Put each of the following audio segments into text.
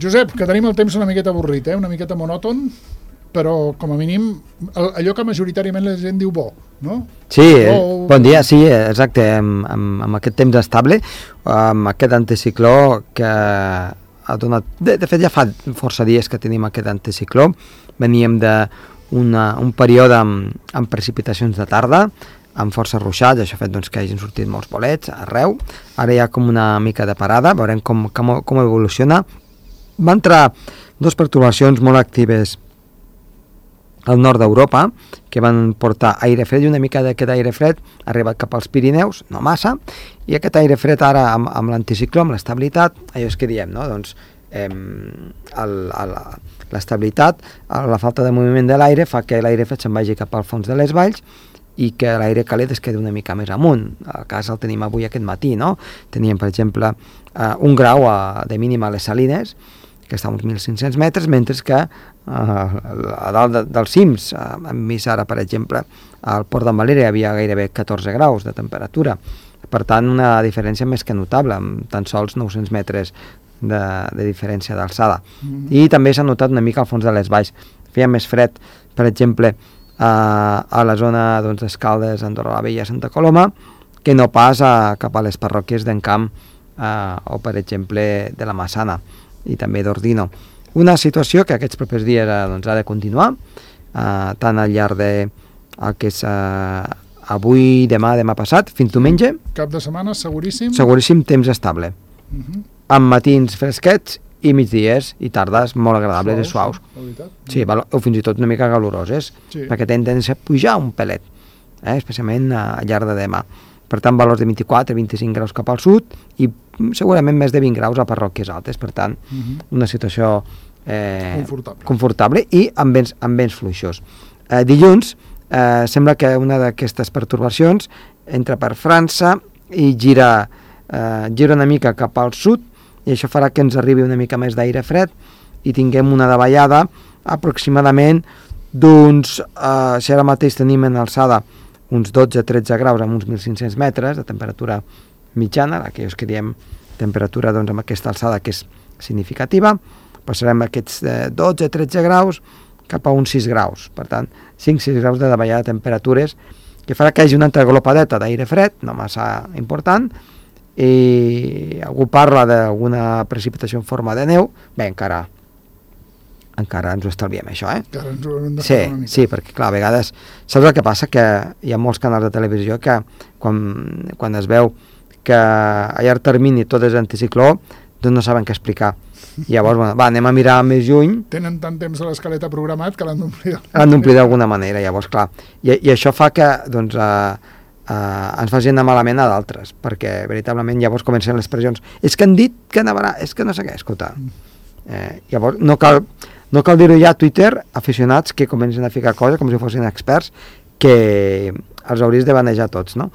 Josep, que tenim el temps una miqueta avorrit, una miqueta monòton, però com a mínim allò que majoritàriament la gent diu bo, no? Sí, bon dia, sí, exacte, amb aquest temps estable, amb aquest anticicló que ha donat... De fet, ja fa força dies que tenim aquest anticicló, veníem d'un període amb precipitacions de tarda, amb força ruixats, això ha fet doncs, que hagin sortit molts bolets arreu, ara hi ha com una mica de parada, veurem com evoluciona. Va entrar dues pertorbacions molt actives al nord d'Europa, que van portar aire fred, i una mica d'aquest aire fred ha arribat cap als Pirineus, no massa, i aquest aire fred ara amb l'anticicló, amb l'estabilitat, allò és que diem, no? Doncs l'estabilitat, la falta de moviment de l'aire fa que l'aire fred se'n vagi cap al fons de les valls i que l'aire càlid es quedi una mica més amunt. El cas el tenim avui aquest matí, no? Teníem, per exemple, 1 grau de mínima a les Salines, que està a uns 1.500 metres, mentre que a dalt dels cims, hem vist ara, per exemple, al Port d'en Valera hi havia gairebé 14 graus de temperatura. Per tant, una diferència més que notable, amb tan sols 900 metres de diferència d'alçada. I també s'ha notat una mica al fons de les valls. Feia més fred, per exemple, a la zona d'Escaldes, Andorra la Vella, Santa Coloma, que no pas cap a les parròquies d'Encamp o, per exemple, de la Massana i també d'Ordino. Una situació que aquests propers dies ha de continuar, tant al llarg de el que és avui, demà passat, fins diumenge. Cap de setmana, seguríssim? Seguríssim, temps estable. Amb matins fresquets i migdies i tardes molt agradables i suaus. Sí, o fins i tot una mica caloroses, perquè tenen a pujar un pelet, especialment al llarg de demà. Per tant, valors de 24-25 graus cap al sud i segurament més de 20 graus a parròquies altes. Per tant, una situació confortable i amb vents fluixos. Dilluns sembla que una d'aquestes pertorbacions entra per França i gira una mica cap al sud, i això farà que ens arribi una mica més d'aire fred i tinguem una davallada aproximadament d'uns, si ara mateix tenim en alçada uns 12-13 graus amb uns 1.500 metres de temperatura mitjana, aquells que diem temperatura amb aquesta alçada que és significativa, passarem aquests 12-13 graus cap a uns 6 graus, per tant 5-6 graus de davallada de temperatures que farà que hi hagi una entreglopadeta d'aire fred, no massa important, i algú parla d'alguna precipitació en forma de neu, bé, encara ens ho estalviem, això, Sí, perquè, clar, a vegades... Saps el que passa? Que hi ha molts canals de televisió que, quan es veu que a llarg termini tot és anticicló, doncs no saben què explicar. I llavors, anem a mirar més lluny. Tenen tant temps a l'escaleta programat que l'han d'omplir. L'han d'omplir d'alguna manera, llavors, clar. I això fa que, doncs, ens facin anar malament a d'altres, perquè, veritablement, llavors comencen les pressions. És que han dit que nevarà, és que no sé què, escolta. Llavors, no cal dir-ho ja a Twitter, aficionats que comencen a ficar coses com si fossin experts, que els hauries de banejar tots, no?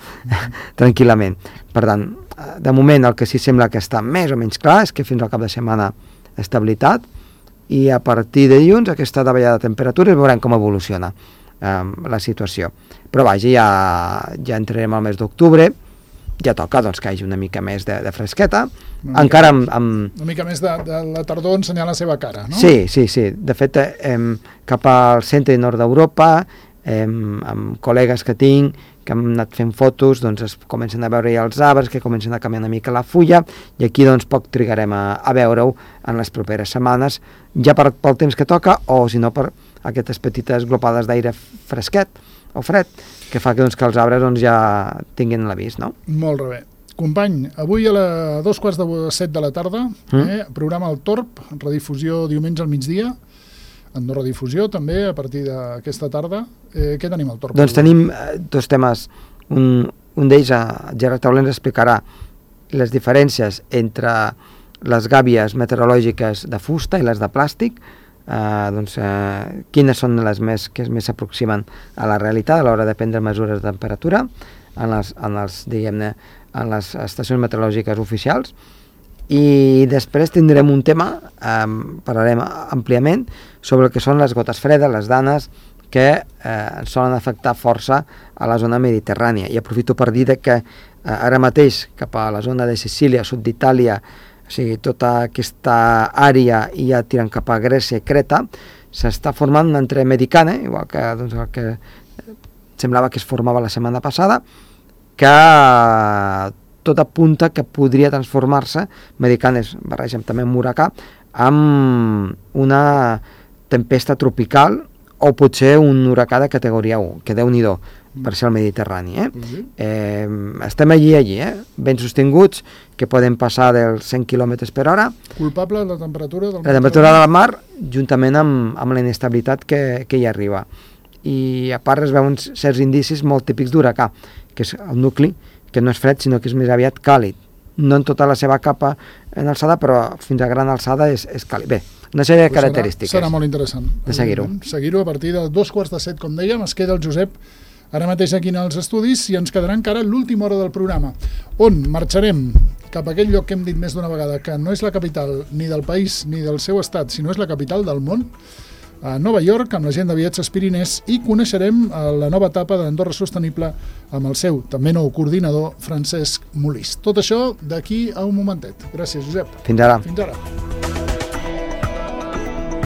Tranquil·lament. Per tant, de moment el que sí sembla que està més o menys clar és que fins al cap de setmana estabilitat, i a partir de dilluns aquesta davallada de temperatures veurem com evoluciona la situació. Però vaja, ja entrarem al mes d'octubre, ja toca doncs, que hi hagi una mica més de fresqueta, encara amb... Una mica més de la tardor ensenyar la seva cara, no? Sí. De fet, cap al centre i nord d'Europa, amb col·legues que tinc, que hem anat fent fotos, doncs es comencen a veure ja els arbres, que comencen a canviar una mica la fulla, i aquí doncs poc trigarem a veure-ho en les properes setmanes, ja pel temps que toca, o si no per aquestes petites glopades d'aire fresquet o fred, que fa que els arbres ja tinguin l'avís, no? Molt bé. Company, avui a 7:15 de la tarda, programa El Torb, redifusió diumenge al migdia, en no redifusió també a partir d'aquesta tarda. Què tenim al Torb? Doncs tenim dos temes. Un d'ells, Gerard Tauler ens explicarà les diferències entre les gàbies meteorològiques de fusta i les de plàstic, quines són les que més s'aproximen a la realitat a l'hora de prendre mesures de temperatura en les estacions meteorològiques oficials. I després tindrem un tema, parlarem àmpliament sobre el que són les gotes fredes, les danes, que solen afectar força a la zona mediterrània. I aprofito per dir que ara mateix cap a la zona de Sicília, sud d'Itàlia, O sigui, tota aquesta àrea ja tirant cap a Grècia i Creta, s'està formant una entreamericana, igual que, doncs, el que semblava que es formava la setmana passada, que tot apunta que podria transformar-se, americana es barreja també amb huracà, amb una tempesta tropical o potser un huracà de categoria 1, que Déu-n'hi-do per ser al Mediterrani. Estem allí, ben sostinguts, que poden passar dels 100 km per hora. Culpable la temperatura del La temperatura del mar, juntament amb la inestabilitat que hi arriba. I a part es veuen certs indicis molt típics d'huracà, que és el nucli, que no és fred, sinó que és més aviat càlid. No en tota la seva capa en alçada, però fins a gran alçada és càlid. Bé, una sèrie de característiques. Serà molt interessant. De seguir-ho. Seguir-ho a partir de 2:45, com dèiem. Es queda el Josep ara mateix aquí als estudis i ens quedarà encara l'última hora del programa, on marxarem cap a aquell lloc que hem dit més d'una vegada, que no és la capital ni del país ni del seu estat, sinó és la capital del món, a Nova York, amb la gent de Viatges Pirinès, i coneixerem la nova etapa d'Andorra Sostenible amb el seu també nou coordinador, Francesc Molís. Tot això d'aquí a un momentet. Gràcies, Josep. Fins ara. Fins ara.